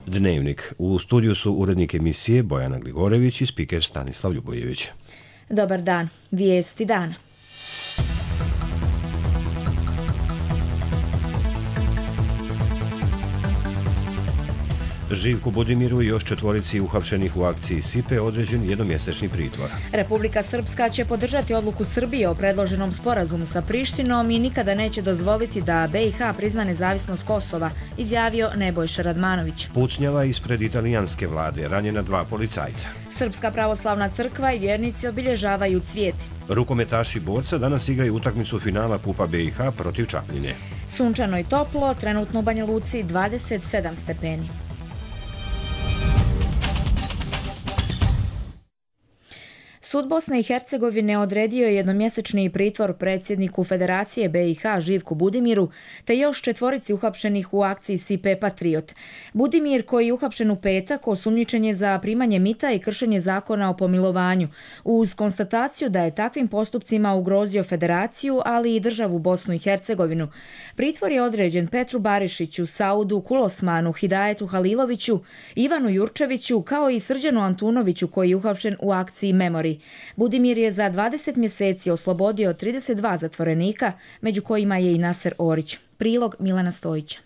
Dnevnik. U studiju su urednik emisije Bojana Gligorević i spiker Stanislav Ljubojević. Dobar dan. Vijesti dana. Živku Budimiru i još 4 uhapšenih u akciji SIPE određen jednomjesečni pritvor. Republika Srpska će podržati odluku Srbije o predloženom sporazumu sa Prištinom i nikada neće dozvoliti da BiH prizna nezavisnost Kosova, izjavio Nebojša Radmanović. Pucnjava ispred italijanske vlade, ranjena 2 policajca. Srpska pravoslavna crkva i vjernici obilježavaju Cvijeti. Rukometaši Borca danas igraju utakmicu finala Kupa BiH protiv Čapljine. Sunčano i toplo, trenutno u Banja Luci 27 stepeni. Sud Bosne i Hercegovine odredio je jednomjesečni pritvor predsjedniku Federacije BiH Živku Budimiru te još 4 uhapšenih u akciji SIPE Patriot. Budimir, koji je uhapšen u petak, osumnjičen je za primanje mita i kršenje zakona o pomilovanju, uz konstataciju da je takvim postupcima ugrozio Federaciju, ali i državu Bosnu i Hercegovinu. Pritvor je određen Petru Barišiću, Saudu Kulosmanu, Hidajetu Haliloviću, Ivanu Jurčeviću, kao i Srđanu Antunoviću, koji je uhapšen u akciji Memori. Budimir je za 20 mjeseci oslobodio 32 zatvorenika, među kojima je i Naser Orić. Prilog Milana Stojića.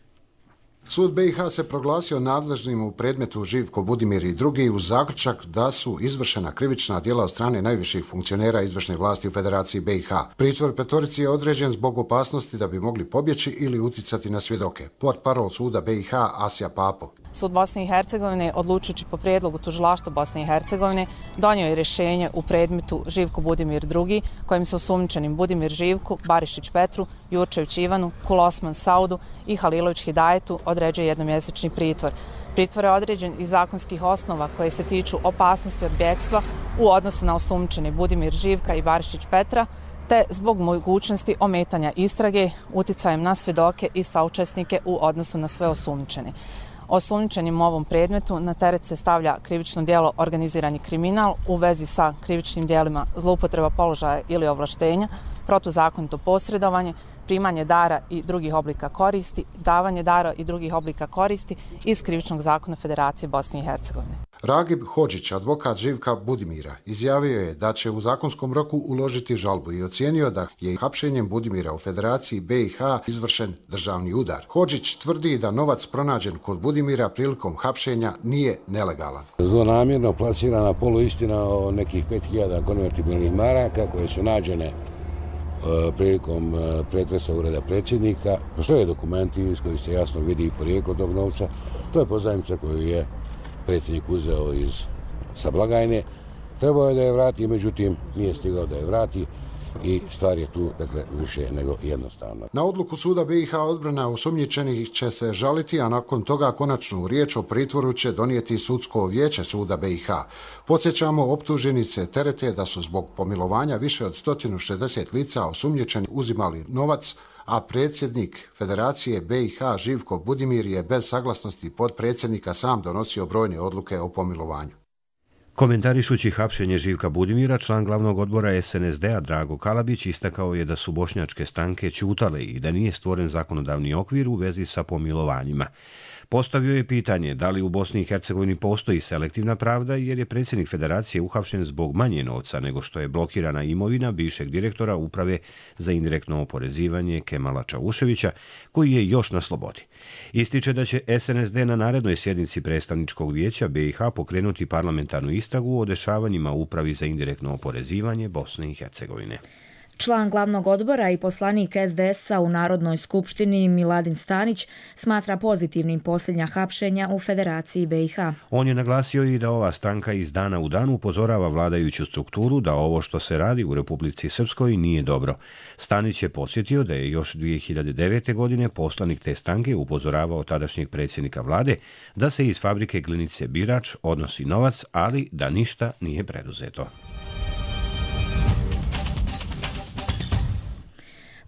Sud BiH se proglasio nadležnim u predmetu Živko Budimir i drugi uz zaključak da su izvršena krivična djela od strane najviših funkcionera izvršne vlasti u Federaciji BiH. Pritvor 5 je određen zbog opasnosti da bi mogli pobjeći ili uticati na svjedoke. Portparol suda BiH Asja Papo. Sud Bosne i Hercegovine, odlučujući po prijedlogu tužilaštva Bosne i Hercegovine, donio je rješenje u predmetu Živko Budimir II, kojim se osumnjičenim Budimir Živku, Barišić Petru, Jurčević Ivanu, Kulosman Saudu i Halilović Hidajetu određuje jednomjesečni pritvor. Pritvor je određen iz zakonskih osnova koje se tiču opasnosti od bjegstva u odnosu na osumnjičene Budimir Živka i Barišić Petra, te zbog mogućnosti ometanja istrage uticajem na svjedoke i saučesnike u odnosu na sve osumnjičene. Osumnjičenim u ovom predmetu na teret se stavlja krivično djelo organizirani kriminal u vezi sa krivičnim djelima zloupotreba položaja ili ovlaštenja, protuzakonito posredovanje, primanje dara i drugih oblika koristi, davanje dara i drugih oblika koristi iz krivičnog zakona Federacije Bosne i Hercegovine. Ragib Hodžić, advokat Živka Budimira, izjavio je da će u zakonskom roku uložiti žalbu i ocijenio da je hapšenjem Budimira u Federaciji BiH izvršen državni udar. Hodžić tvrdi da novac pronađen kod Budimira prilikom hapšenja nije nelegalan. Zlonamjerno plasirana poluistina o nekih 5000 konvertibilnih maraka koje su nađene prilikom pretresa ureda predsjednika. Postoje dokumenti iz kojih se jasno vidi porijeklo tog novca. To je pozajmica koju je predsjednik uzeo sa blagajne. Trebao je da je vrati, međutim nije stigao da je vrati i stvar je tu više nego jednostavna. Na odluku suda BiH odbrana osumnjičenih će se žaliti, a nakon toga konačnu riječ o pritvoru će donijeti sudsko vijeće suda BiH. Podsjećamo, optuženice terete da su zbog pomilovanja više od 160 lica osumnjičeni uzimali novac, a predsjednik Federacije BiH Živko Budimir je bez saglasnosti potpredsjednika sam donosio brojne odluke o pomilovanju. Komentarišući hapšenje Živka Budimira, član glavnog odbora SNSD-a Drago Kalabić istakao je da su bošnjačke stranke ćutale i da nije stvoren zakonodavni okvir u vezi sa pomilovanjima. Postavio je pitanje da li u Bosni i Hercegovini postoji selektivna pravda jer je predsjednik Federacije uhapšen zbog manje novca nego što je blokirana imovina bivšeg direktora Uprave za indirektno oporezivanje Kemala Čauševića, koji je još na slobodi. Ističe da će SNSD na narednoj sjednici predstavničkog vijeća BiH pokrenuti parlamentarnu istragu o dešavanjima u Upravi za indirektno oporezivanje Bosne i Hercegovine. Član glavnog odbora i poslanik SDS-a u Narodnoj skupštini Miladin Stanić smatra pozitivnim posljednja hapšenja u Federaciji BiH. On je naglasio i da ova stranka iz dana u dan upozorava vladajuću strukturu da ovo što se radi u Republici Srpskoj nije dobro. Stanić je podsjetio da je još 2009. godine poslanik te stranke upozoravao tadašnjeg predsjednika vlade da se iz fabrike Glinice Birač odnosi novac, ali da ništa nije preduzeto.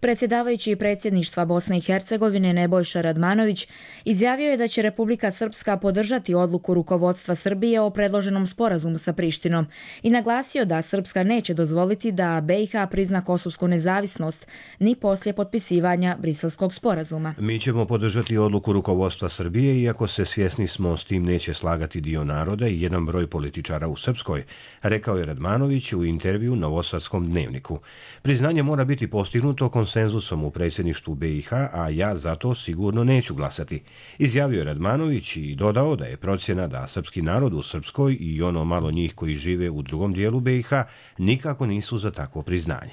Predsjedavajući predsjedništva Bosne i Hercegovine Nebojša Radmanović izjavio je da će Republika Srpska podržati odluku rukovodstva Srbije o predloženom sporazumu sa Prištinom i naglasio da Srpska neće dozvoliti da BiH prizna kosovsku nezavisnost ni poslije potpisivanja Briselskog sporazuma. Mi ćemo podržati odluku rukovodstva Srbije, iako se svjesni smo s tim neće slagati dio naroda i jedan broj političara u Srpskoj, rekao je Radmanović u intervju Novosadskom dnevniku. Priznanje mora biti postignuto konsenzusom u predsjedništvu BiH, a ja zato sigurno neću glasati, izjavio je Radmanović i dodao da je procjena da srpski narod u Srpskoj i ono malo njih koji žive u drugom dijelu BiH nikako nisu za takvo priznanje.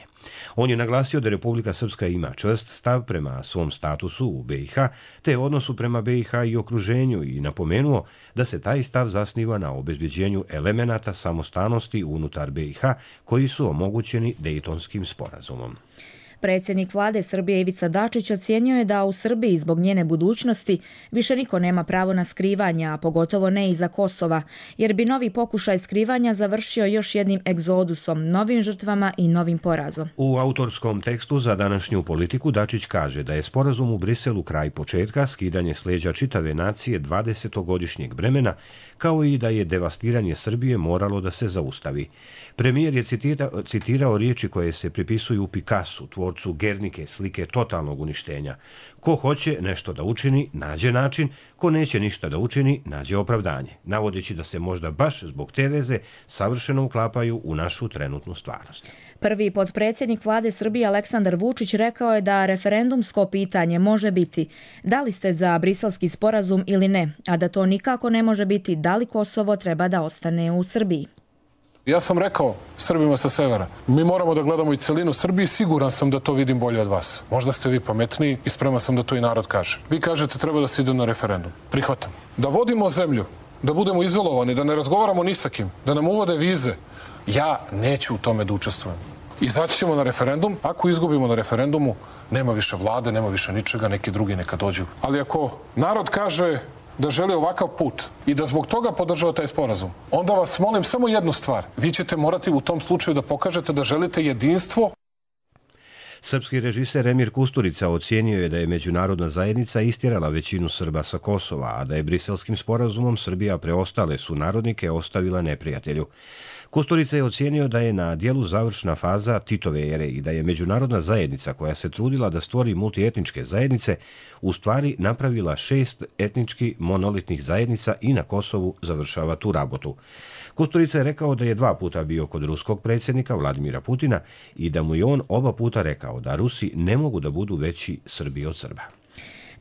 On je naglasio da Republika Srpska ima čvrst stav prema svom statusu u BiH, te odnosu prema BiH i okruženju i napomenuo da se taj stav zasniva na obezbeđenju elemenata samostalnosti unutar BiH koji su omogućeni Dejtonskim sporazumom. Predsjednik vlade Srbije Ivica Dačić ocijenio je da u Srbiji zbog njene budućnosti više niko nema pravo na skrivanje, a pogotovo ne iza Kosova, jer bi novi pokušaj skrivanja završio još jednim egzodusom, novim žrtvama i novim porazom. U autorskom tekstu za današnju politiku Dačić kaže da je sporazum u Briselu kraj početka, skidanje s leđa čitave nacije 20-godišnjeg vremena, kao i da je devastiranje Srbije moralo da se zaustavi. Premijer je citirao riječi koje se pripisuju Picassu, tvorcu Guernike, slike totalnog uništenja. Ko hoće nešto da učini, nađe način, ko neće ništa da učini, nađe opravdanje, navodeći da se možda baš zbog te veze savršeno uklapaju u našu trenutnu stvarnost. Prvi potpredsjednik vlade Srbije Aleksandar Vučić rekao je da referendumsko pitanje može biti da li ste za Briselski sporazum ili ne, a da to nikako ne može biti da li Kosovo treba da ostane u Srbiji. Ja sam rekao Srbima sa severa, mi moramo da gledamo i celinu Srbije, siguran sam da to vidim bolje od vas. Možda ste vi pametniji i spreman sam da to i narod kaže. Vi kažete treba da se ide na referendum. Prihvatam. Da vodimo zemlju, da budemo izolovani, da ne razgovaramo ni sa kim, da nam uvode vize. Ja neću u tome da učestvujem. Izaći ćemo na referendum, ako izgubimo na referendumu, nema više vlade, nema više ničega, neki drugi neka dođu. Ali ako narod kaže da želi ovakav put i da zbog toga podržava taj sporazum, onda vas molim samo jednu stvar. Vi ćete morati u tom slučaju da pokažete da želite jedinstvo. Srpski režiser Emir Kusturica ocijenio je da je međunarodna zajednica istjerala većinu Srba sa Kosova, a da je Briselskim sporazumom Srbija preostale sunarodnike ostavila neprijatelju. Kusturica je ocijenio da je na dijelu završna faza Titove ere i da je međunarodna zajednica koja se trudila da stvori multietničke zajednice u stvari napravila 6 etnički monolitnih zajednica i na Kosovu završava tu rabotu. Kusturica je rekao da je 2 puta bio kod ruskog predsjednika Vladimira Putina i da mu je on oba puta rekao da Rusi ne mogu da budu veći Srbi od Srba.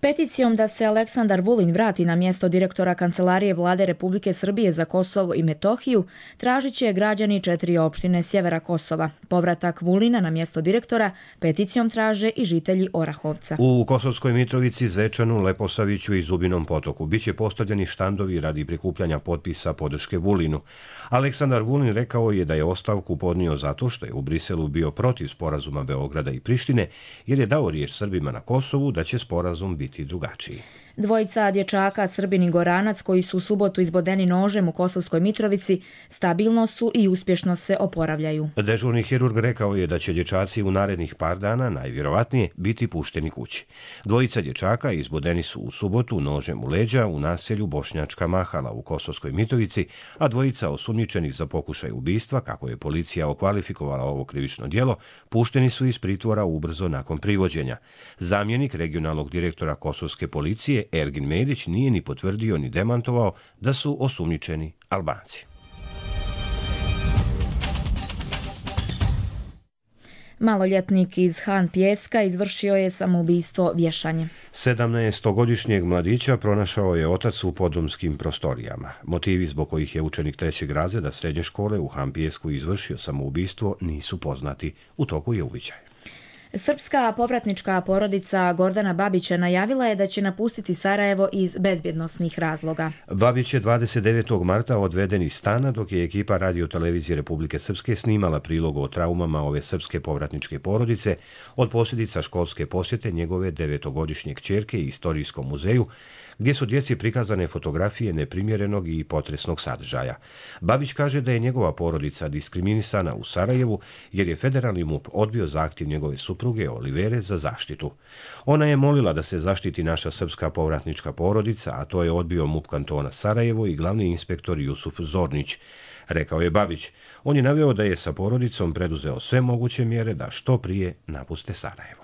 Peticijom da se Aleksandar Vulin vrati na mjesto direktora Kancelarije Vlade Republike Srbije za Kosovo i Metohiju tražit će građani 4 opštine sjevera Kosova. Povratak Vulina na mjesto direktora peticijom traže i žitelji Orahovca. U Kosovskoj Mitrovici, Zvečanu, Leposaviću i Zubinom Potoku biće postavljeni štandovi radi prikupljanja potpisa podrške Vulinu. Aleksandar Vulin rekao je da je ostavku podnio zato što je u Briselu bio protiv sporazuma Beograda i Prištine, jer je dao riječ Srbima na Kosovu da će sporazum biti drugačiji. Dvojica dječaka, Srbin i Goranac, koji su u subotu izbodeni nožem u Kosovskoj Mitrovici, stabilno su i uspješno se oporavljaju. Dežurni hirurg rekao je da će dječaci u narednih par dana najvjerovatnije biti pušteni kući. Dvojica dječaka izbodeni su u subotu nožem u leđa u naselju Bošnjačka Mahala u Kosovskoj Mitrovici, a dvojica osumnjičenih za pokušaj ubistva, kako je policija okvalifikovala ovo krivično djelo, pušteni su iz pritvora ubrzo nakon privođenja. Zamjenik regionalnog direktora Kosovske policije Ergin Medić nije ni potvrdio ni demantovao da su osumnjičeni Albanci. Maloljetnik iz Han Pijeska izvršio je samoubistvo vješanjem. 17-godišnjeg mladića pronašao je otac u podrumskim prostorijama. Motivi zbog kojih je učenik 3. razreda srednje škole u Han Pijesku izvršio samoubistvo nisu poznati. U toku je uviđaj. Srpska povratnička porodica Gordana Babića najavila je da će napustiti Sarajevo iz bezbjednosnih razloga. Babić je 29. marta odveden iz stana dok je ekipa Radio-televizije Republike Srpske snimala prilog o traumama ove srpske povratničke porodice od posljedica školske posjete njegove 9-godišnje kćerke Istorijskom muzeju, gdje su djeci prikazane fotografije neprimjerenog i potresnog sadržaja. Babić kaže da je njegova porodica diskriminisana u Sarajevu jer je federalni MUP odbio zahtjev njegove supruge supruge Olivere za zaštitu. Ona je molila da se zaštiti naša srpska povratnička porodica, a to je odbio MUP kantona Sarajevo i glavni inspektor Jusuf Zornić, rekao je Babić. On je naveo da je sa porodicom preduzeo sve moguće mjere da što prije napuste Sarajevo.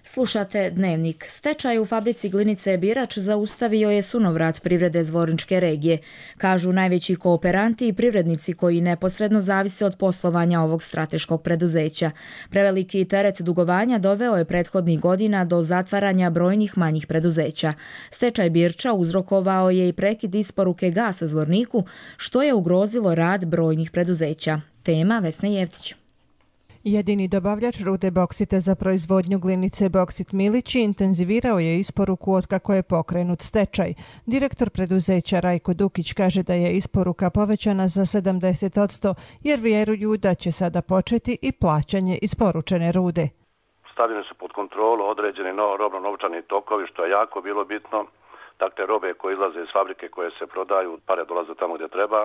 Slušate Dnevnik. Stečaj u fabrici glinice Birač zaustavio je sunovrat privrede Zvorničke regije, kažu najveći kooperanti i privrednici koji neposredno zavise od poslovanja ovog strateškog preduzeća. Preveliki teret dugovanja doveo je prethodnih godina do zatvaranja brojnih manjih preduzeća. Stečaj Birča uzrokovao je i prekid isporuke gasa Zvorniku, što je ugrozilo rad brojnih preduzeća. Tema Vesna Jevtić. Jedini dobavljač rude boksita za proizvodnju glinice Boksit Milići intenzivirao je isporuku otkako je pokrenut stečaj. Direktor preduzeća Rajko Dukić kaže da je isporuka povećana za 70% jer vjeruju da će sada početi i plaćanje isporučene rude. Stavljene su pod kontrolu određeni robno-novčani tokovi, što je jako bilo bitno. Dakle, robe koje izlaze iz fabrike, koje se prodaju, pare dolaze tamo gdje treba.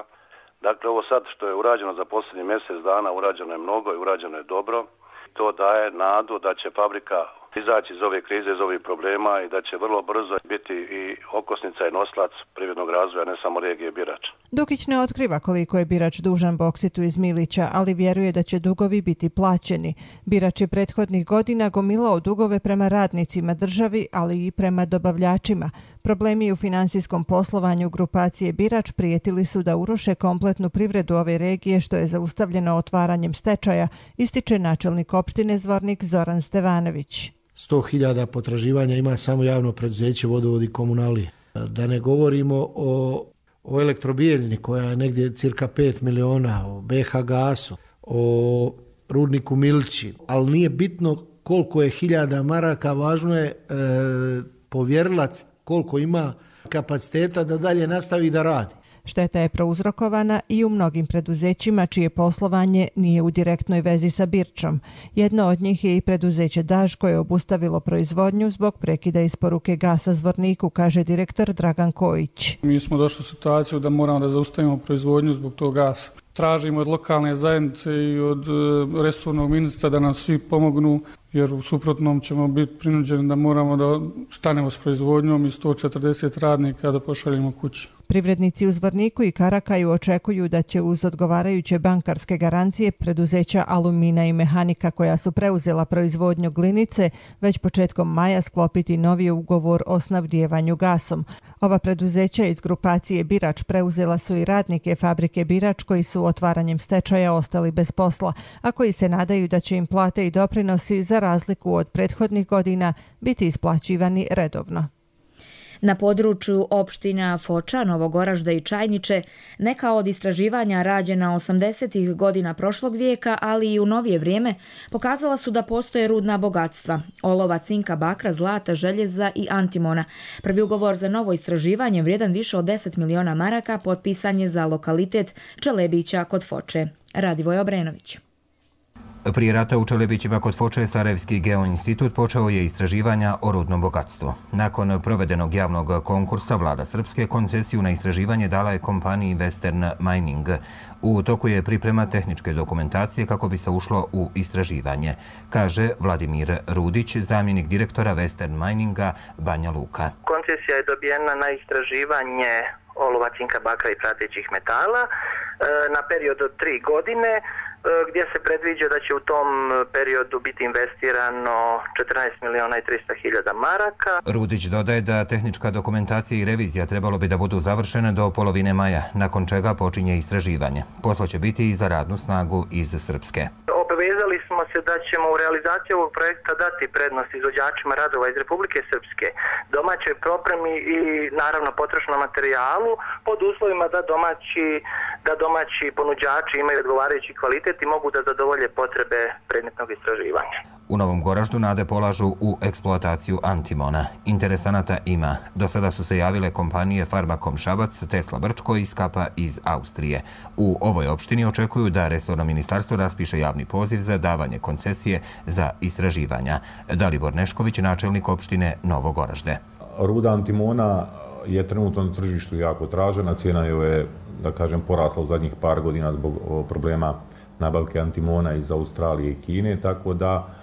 Dakle, ovo sad što je urađeno za posljednji mjesec dana, urađeno je mnogo i urađeno je dobro. To daje nadu da će fabrika izaći iz ove krize, iz ovih problema i da će vrlo brzo biti i okosnica i noslac privrednog razvoja, ne samo regije Birač. Dukić ne otkriva koliko je Birač dužan Boksitu iz Milića, ali vjeruje da će dugovi biti plaćeni. Birač je prethodnih godina gomilao dugove prema radnicima, državi, ali i prema dobavljačima. Problemi u finansijskom poslovanju grupacije Birač prijetili su da uruše kompletnu privredu ove regije, što je zaustavljeno otvaranjem stečaja, ističe načelnik opštine Zvornik Zoran Stevanović. 100.000 potraživanja ima samo javno preduzeće Vodovod i komunalije. Da ne govorimo o Elektrobijeljni koja je negdje cirka 5 miliona, o BH Gasu, o Rudniku Milići, ali nije bitno koliko je hiljada maraka, važno je povjerilac koliko ima kapaciteta da dalje nastavi da radi. Šteta je prouzrokovana i u mnogim preduzećima čije poslovanje nije u direktnoj vezi sa Birčom. Jedno od njih je i preduzeće Daž koje je obustavilo proizvodnju zbog prekida isporuke gasa Zvorniku, kaže direktor Dragan Kojić. Mi smo došli u situaciju da moramo da zaustavimo proizvodnju zbog tog gasa. Tražimo od lokalne zajednice i od resornog ministra da nam svi pomognu, jer u suprotnom ćemo biti prinuđeni da moramo da stanemo s proizvodnjom i 140 radnika da pošaljemo kući. Privrednici u Zvorniku i Karakaju očekuju da će uz odgovarajuće bankarske garancije preduzeća Alumina i Mehanika koja su preuzela proizvodnju glinice već početkom maja sklopiti novi ugovor o snabdijevanju gasom. Ova preduzeća iz grupacije Birač preuzela su i radnike fabrike Birač koji su otvaranjem stečaja ostali bez posla, a koji se nadaju da će im plate i doprinosi za razliku od prethodnih godina biti isplaćivani redovno. Na području opština Foča, Novogoražda i Čajniče neka od istraživanja rađena 80. godina prošlog vijeka, ali i u novije vrijeme, pokazala su da postoje rudna bogatstva – olova, cinka, bakra, zlata, željeza i antimona. Prvi ugovor za novo istraživanje vrijedan više od 10 miliona maraka potpisan je za lokalitet Čelebića kod Foče. Radivoj Obrenović. Prije rata u Čelebićima kod Foče Sarajevski geoinstitut počeo je istraživanja o rudnom bogatstvu. Nakon provedenog javnog konkursa vlada Srpske koncesiju na istraživanje dala je kompaniji Western Mining. U toku je priprema tehničke dokumentacije kako bi se ušlo u istraživanje, kaže Vladimir Rudić, zamjenik direktora Western Mininga Banja Luka. Koncesija je dobijena na istraživanje olova, cinka, bakra i pratećih metala na period od 3 godine, gdje se predviđa da će u tom periodu biti investirano 14 miliona i 300 hiljada maraka. Rudić dodaje da tehnička dokumentacija i revizija trebalo bi da budu završene do polovine maja, nakon čega počinje istraživanje. Posla će biti i za radnu snagu iz Srpske. Obavezali smo se da ćemo u realizaciji ovog projekta dati prednost izvođačima radova iz Republike Srpske, domaćoj propremi i naravno potrošnom materijalu pod uslovima da domaći ponuđači imaju odgovarajući kvalitet i mogu da zadovolje potrebe predmetnog istraživanja. U Novom Goraždu nade polažu u eksploataciju antimona. Interesanata ima. Do sada su se javile kompanije Farmakom Šabac, Tesla Brčko i Skapa iz Austrije. U ovoj opštini očekuju da resorno ministarstvo raspiše javni poziv za davanje koncesije za istraživanja. Dalibor Nešković, načelnik opštine Novo Goražde. Ruda antimona je trenutno na tržištu jako tražena. Cijena je, da kažem, porasla u zadnjih par godina zbog problema nabavke antimona iz Australije i Kine, tako da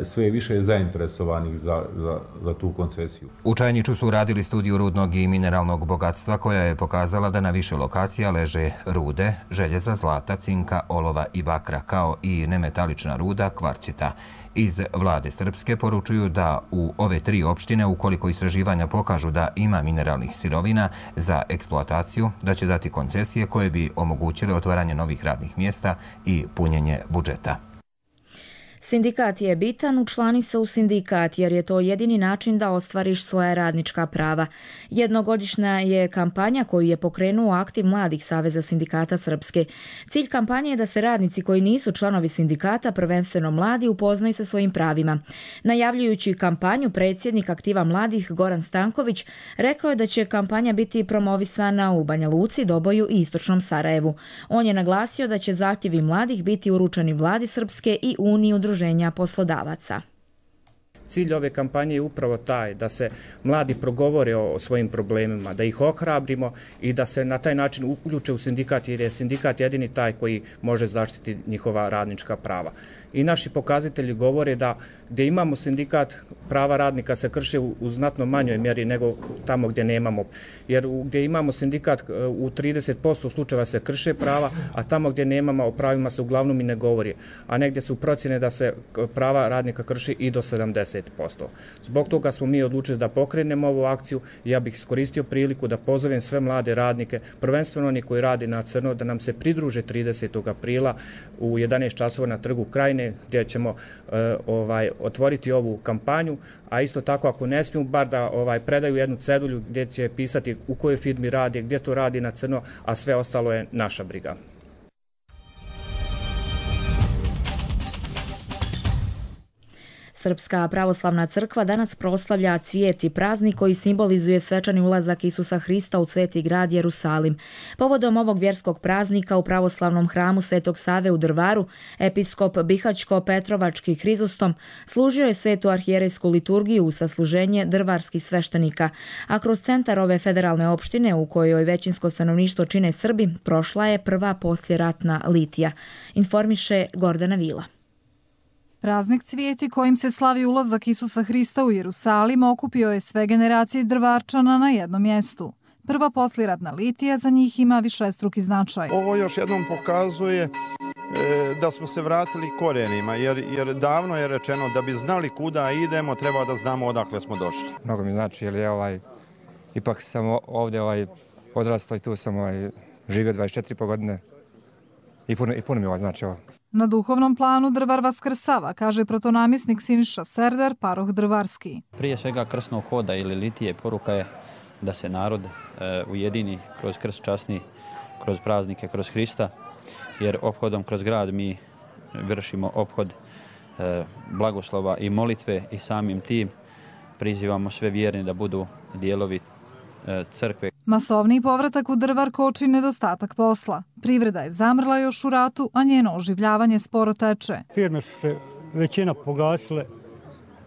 sve je više zainteresovanih za tu koncesiju. U Čajniču su radili studiju rudnog i mineralnog bogatstva koja je pokazala da na više lokacija leže rude, željeza, zlata, cinka, olova i bakra, kao i nemetalična ruda, kvarcita. Iz vlade Srpske poručuju da u ove 3 opštine, ukoliko istraživanja pokažu da ima mineralnih sirovina za eksploataciju, da će dati koncesije koje bi omogućile otvaranje novih radnih mjesta i punjenje budžeta. Sindikat je bitan, učlani se u sindikat jer je to jedini način da ostvariš svoja radnička prava. Jednogodišnja je kampanja koju je pokrenuo Aktiv mladih Saveza sindikata Srpske. Cilj kampanje je da se radnici koji nisu članovi sindikata, prvenstveno mladi, upoznaju sa svojim pravima. Najavljujući kampanju, predsjednik Aktiva mladih Goran Stanković rekao je da će kampanja biti promovisana u Banja Luci, Doboju i Istočnom Sarajevu. On je naglasio da će zahtjevi mladih biti uručeni vladi Srpske i Uniji udruženja poslodavaca. Cilj ove kampanje je upravo taj da se mladi progovore o svojim problemima, da ih ohrabrimo i da se na taj način uključe u sindikat, jer je sindikat jedini taj koji može zaštiti njihova radnička prava. I naši pokazatelji govore da gdje imamo sindikat, prava radnika se krše u znatno manjoj mjeri nego tamo gdje nemamo. Jer gdje imamo sindikat u 30% slučajeva se krše prava, a tamo gdje nemamo o pravima se uglavnom i ne govori. A negdje su procjene da se prava radnika krši i do 70%. Zbog toga smo mi odlučili da pokrenemo ovu akciju i ja bih iskoristio priliku da pozovem sve mlade radnike, prvenstveno oni koji rade na crno, da nam se pridruže 30. aprila u 11 časova na Trgu Krajine, gdje ćemo otvoriti ovu kampanju, a isto tako ako ne smiju, bar da predaju jednu cedulju gdje će pisati u kojoj firmi radi, gdje to radi na crno, a sve ostalo je naša briga. Srpska pravoslavna crkva danas proslavlja cvijet i praznik koji simbolizuje svečani ulazak Isusa Hrista u Sveti grad Jerusalim. Povodom ovog vjerskog praznika u pravoslavnom hramu Svetog Save u Drvaru, episkop Bihaćko-Petrovački Hrizostom služio je svetu arhijerejsku liturgiju u sasluženje drvarskih sveštenika, a kroz centar ove federalne opštine u kojoj većinsko stanovništvo čine Srbi prošla je prva posljeratna litija. Informiše Gordana Vila. Praznik cvijeti kojim se slavi ulazak Isusa Hrista u Jerusalim okupio je sve generacije Drvarčana na jednom mjestu. Prva posljeratna litija za njih ima višestruki značaj. Ovo još jednom pokazuje da smo se vratili korenima, jer davno je rečeno da bi znali kuda idemo, treba da znamo odakle smo došli. Mnogo mi znači, jer je ipak sam ovdje odrastao i tu sam živio 24,5 godine i puno mi znači ovo. Na duhovnom planu Drvar vaskrsava, kaže protonamjesnik Siniša Serdar, paroh Drvarski. Prije svega krsnog hoda ili litije poruka je da se narod ujedini kroz krst časni, kroz praznike, kroz Hrista, jer ophodom kroz grad mi vršimo ophod blagoslova i molitve i samim tim prizivamo sve vjerne da budu dijelovi crkve. Masovni povratak u Drvar koči nedostatak posla. Privreda je zamrla još u ratu, a njeno oživljavanje sporo teče. Firme su se većina pogasile.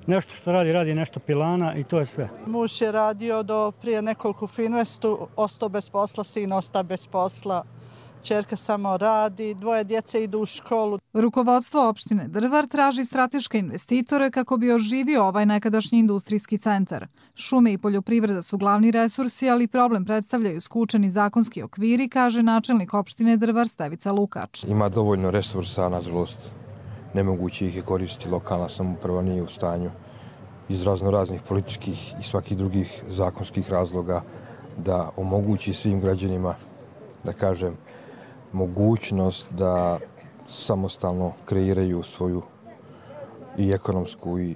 Nešto što radi nešto pilana i to je sve. Muž je radio do prije nekoliko Finvestu, ostao bez posla, sin ostao bez posla. Čerka samo radi, 2 djece idu u školu. Rukovodstvo opštine Drvar traži strateške investitore kako bi oživio ovaj nekadašnji industrijski centar. Šume i poljoprivreda su glavni resursi, ali problem predstavljaju skučeni zakonski okviri, kaže načelnik opštine Drvar Stevica Lukač. Ima dovoljno resursa, nažalost, nemoguće ih je koristiti, lokalna samouprava nije u stanju iz raznih političkih i svakih drugih zakonskih razloga da omogući svim građanima, da kažem, mogućnost da samostalno kreiraju svoju i ekonomsku i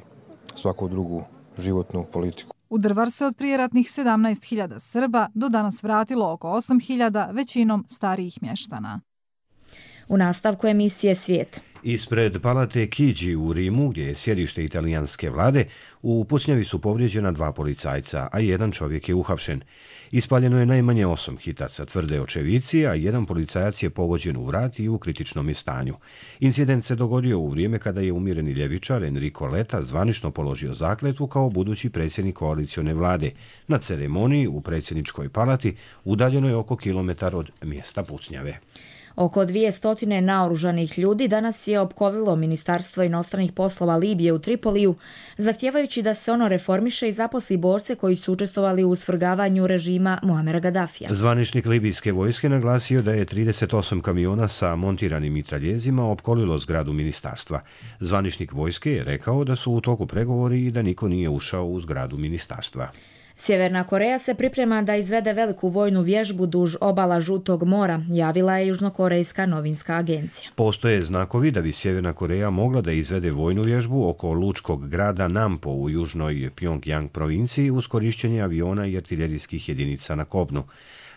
svaku drugu životnu politiku. U Drvar se od prijeratnih 17.000 Srba do danas vratilo oko 8.000, većinom starijih mještana. U nastavku emisije Svijet. Ispred palate Chigi u Rimu, gdje je sjedište italijanske vlade, u pucnjavi su povrijeđena 2 policajca, a 1 čovjek je uhapšen. Ispaljeno je najmanje 8 hitaca, tvrde očevici, a 1 policajac je pogođen u vrat i u kritičnom je stanju. Incident se dogodio u vrijeme kada je umireni ljevičar Enrico Letta zvanično položio zakletvu kao budući predsjednik koalicione vlade. Na ceremoniji u predsjedničkoj palati udaljenoj oko kilometar od mjesta pucnjave. Oko 200 naoružanih ljudi danas je opkolilo Ministarstvo inostranih poslova Libije u Tripoliju, zahtijevajući da se ono reformiše i zaposli borce koji su učestvovali u svrgavanju režima Muamera Gaddafija. Zvaničnik libijske vojske naglasio da je 38 kamiona sa montiranim mitraljezima opkolilo zgradu ministarstva. Zvaničnik vojske je rekao da su u toku pregovori i da niko nije ušao u zgradu ministarstva. Sjeverna Koreja se priprema da izvede veliku vojnu vježbu duž obala Žutog mora, javila je Južnokorejska novinska agencija. Postoje znakovi da bi Sjeverna Koreja mogla da izvede vojnu vježbu oko lučkog grada Nampo u južnoj Pjongjang provinciji uz korišćenje aviona i artiljerijskih jedinica na kopnu.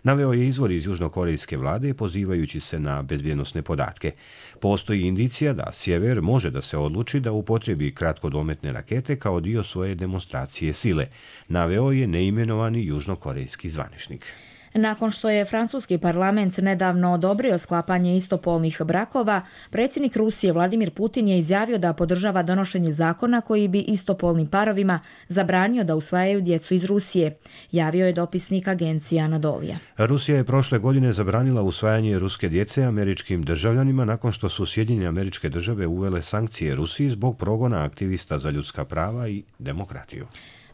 Naveo je izvor iz južnokorejske vlade pozivajući se na bezbjednosne podatke. Postoji indicija da sjever može da se odluči da upotrebi kratkodometne rakete kao dio svoje demonstracije sile, naveo je neimenovani južnokorejski zvaničnik. Nakon što je francuski parlament nedavno odobrio sklapanje istopolnih brakova, predsjednik Rusije Vladimir Putin je izjavio da podržava donošenje zakona koji bi istopolnim parovima zabranio da usvajaju djecu iz Rusije, javio je dopisnik agencije Anadolija. Rusija je prošle godine zabranila usvajanje ruske djece američkim državljanima nakon što su Sjedinjene Američke Države uvele sankcije Rusiji zbog progona aktivista za ljudska prava i demokratiju.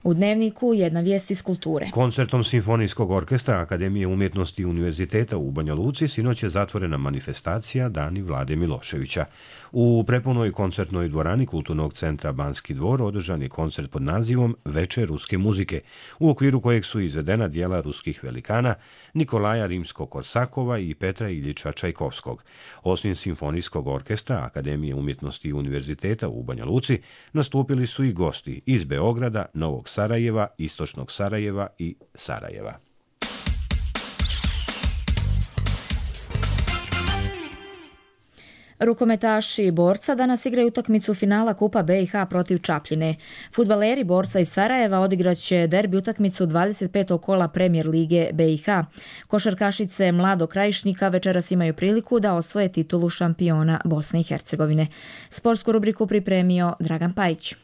U Dnevniku jedna vijest iz kulture. Koncertom Simfonijskog orkestra Akademije umjetnosti Univerziteta u Banja Luci sinoć je zatvorena manifestacija Dani Vlade Miloševića. U prepunoj koncertnoj dvorani Kulturnog centra Banski dvor održan je koncert pod nazivom Večer ruske muzike, u okviru kojeg su izvedena djela ruskih velikana Nikolaja Rimsko-Korsakova i Petra Iljiča Čajkovskog. Osim Simfonijskog orkestra Akademije umjetnosti Univerziteta u Banja Luci nastupili su i gosti iz Beograda, Novog Sarajeva, Istočnog Sarajeva i Sarajeva. Rukometaši Borca danas igraju utakmicu finala Kupa BiH protiv Čapljine. Fudbaleri Borca iz Sarajeva odigraće derbi utakmicu 25. kola Premijer lige BiH. Košarkašice Mlado Krajišnika večeras imaju priliku da osvoje titulu šampiona Bosne i Hercegovine. Sportsku rubriku pripremio Dragan Pajić.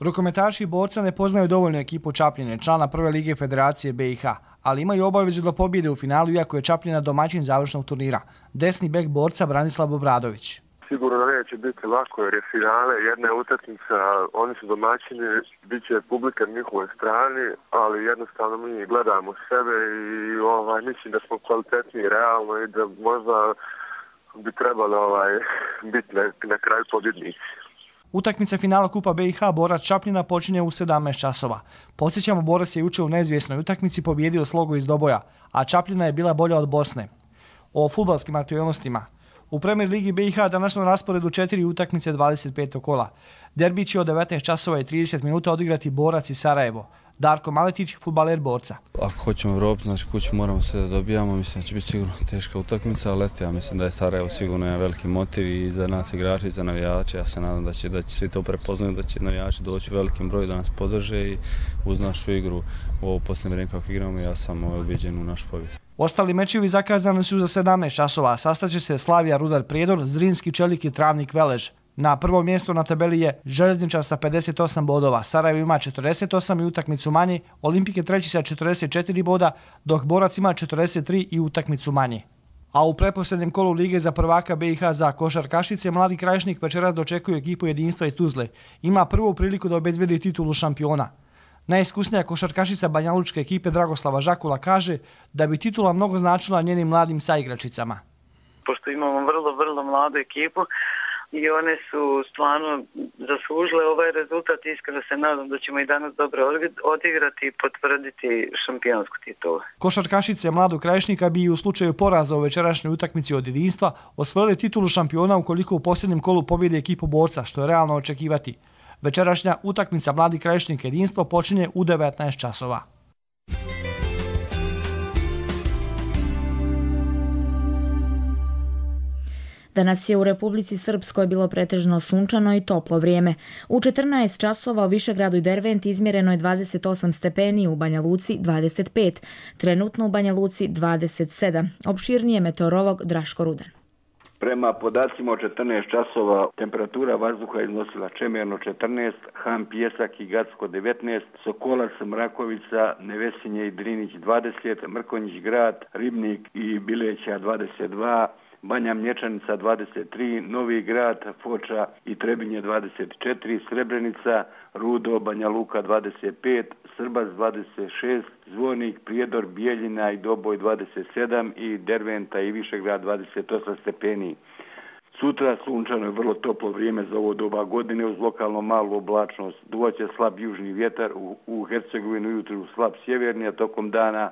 Rukometaši Borca ne poznaju dovoljno ekipu Čapljine, člana prve lige Federacije BiH, ali imaju obavezu da pobjede u finalu iako je Čapljina domaćin završnog turnira. Desni bek Borca Branislav Obradović. Sigurno neće biti lako jer je finale, jedna je utakmica, oni su domaćini, bit će publika na njihovoj strani, ali jednostavno mi gledamo sebe i mislim da smo kvalitetniji realno i da možda bi trebalo biti na kraju pobjednici. Utakmica finala Kupa BiH Borac Čapljina počinje u 17 časova. Podsjećamo, Borac je jučer u neizvjesnoj utakmici pobijedio Slogu iz Doboja, a Čapljina je bila bolja od Bosne. O fudbalskim aktualnostima. U Premier ligi BiH danas na rasporedu 4 utakmice 25. kola. Derbi će od 19 časova i 30 minuta odigrati Borac i Sarajevo. Darko Maletić, fudbaler Borca. Ako hoćemo Evropu, znači kuću moramo sve da dobijamo, mislim da će biti sigurno teška utakmica, ali ja mislim da je Sarajevo sigurno jedan veliki motiv i za nas igrače i za navijače. Ja se nadam da će svi to prepoznati, da će navijači doći u velikim broju da nas podrže i uz našu igru u ovo posljednje vrijeme kako igramo, ja sam ubeđen u našu pobjedu. Ostali mečevi zakazani su za 17 časova, sastaće se Slavija Rudar Prijedor, Zrinski Čelik i Travnik Velež. Na prvom mjestu na tabeli je Željezničar sa 58 bodova, Sarajevo ima 48 i utakmicu manje, Olimpik je treći sa 44 boda, dok Borac ima 43 i utakmicu manje. A u pretposljednjem kolu lige za prvaka BiH za košarkašice Mladi Krajišnik večeras dočekuje ekipu Jedinstva iz Tuzle. Ima prvu priliku da obezbedi titulu šampiona. Najiskusnija košarkašica banjalučke ekipe Dragoslava Žakula kaže da bi titula mnogo značila njenim mladim saigračicama. Pošto imamo vrlo mladu ekipu i one su stvarno zaslužile ovaj rezultat, iskreno se nadam da ćemo i danas dobro odigrati i potvrditi šampionsku titulu. Košarkašice Mladog Krajišnika bi u slučaju poraza u večerašnjoj utakmici od Jedinstva osvojili titulu šampiona ukoliko u posljednjem kolu pobjede ekipu Borca, što je realno očekivati. Večerašnja utakmica Mladi Krajišnik Jedinstvo počinje u 19 časova. Danas je u Republici Srpskoj bilo pretežno sunčano i toplo vrijeme. U 14 časova u Višegradu i Derventi izmjereno je 28 stepeni, u Banja Luci 25, trenutno u Banja Luci 27. Opširnije meteorolog Draško Rudan. Prema podacima od 14 časova temperatura vazduha iznosila Čemerno 14, Han Pjesak i Gacko 19, Sokolac, Mrakovica, Nevesinje i Drinić 20, Mrkonjić Grad, Ribnik i Bileća 22, Banja Mlječanica 23, Novi Grad, Foča i Trebinje 24, Srebrenica, Rudo, Banja Luka 25, Srbas 26, Zvornik, Prijedor, Bijeljina i Doboj 27 i Derventa i Višegrad 28 stepeni. Sutra sunčano je vrlo toplo vrijeme za ovo doba godine uz lokalno malu oblačnost. Duvaće slab južni vjetar, u Hercegovini ujutru slab sjeverni, a tokom dana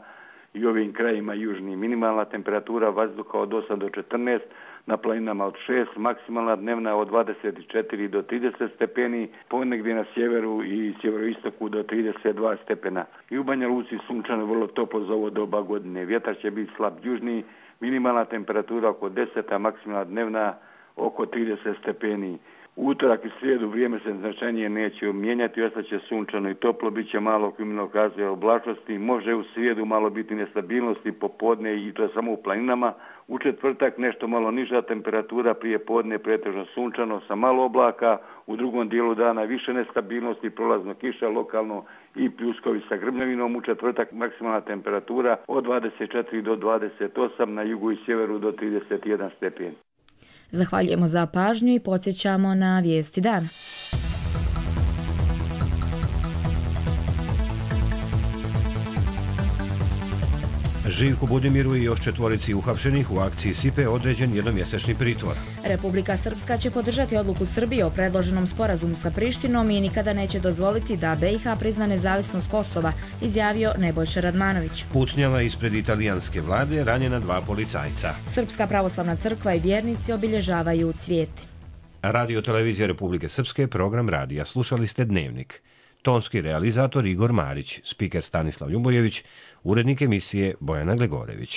i ovim krajima južni. Minimalna temperatura vazduha od 8 do 14, na planinama od 6, maksimalna dnevna od 24 do 30 stepeni, ponegdje na sjeveru i sjeveroistoku do 32 stepena. I u Banja Luci sunčano vrlo toplo za ovo doba godine. Vjetar će biti slab južni, minimalna temperatura oko 10, a maksimalna dnevna oko 30 stepeni. U utorak i srijedu vrijeme se značajnije neće mijenjati, ostaće sunčano i toplo, bit će malo kriminalnog razvoja oblačnosti, može u srijedu malo biti nestabilnosti popodne i to je samo u planinama. U četvrtak nešto malo niža temperatura, prije podne pretežno sunčano sa malo oblaka, u drugom dijelu dana više nestabilnosti, prolazno kiša lokalno i pljuskovi sa grmljavinom. U četvrtak maksimalna temperatura od 24 do 28, na jugu i sjeveru do 31 stepen. Zahvaljujemo za pažnju i podsjećamo na vijesti dana. Živku Budimiru i još 4 uhapšenih u akciji SIPE određen jednomjesečni pritvor. Republika Srpska će podržati odluku Srbije o predloženom sporazumu sa Prištinom i nikada neće dozvoliti da BiH prizna nezavisnost Kosova, izjavio Nebojša Radmanović. Pucnjava ispred italijanske vlade ranjena 2 policajca. Srpska pravoslavna crkva i vjernici obilježavaju Cvijeti. Radio televizija Republike Srpske, program radija. Slušali ste Dnevnik. Tonski realizator Igor Marić, spiker Stanislav Ljubojević, urednik emisije Bojana Glegorević.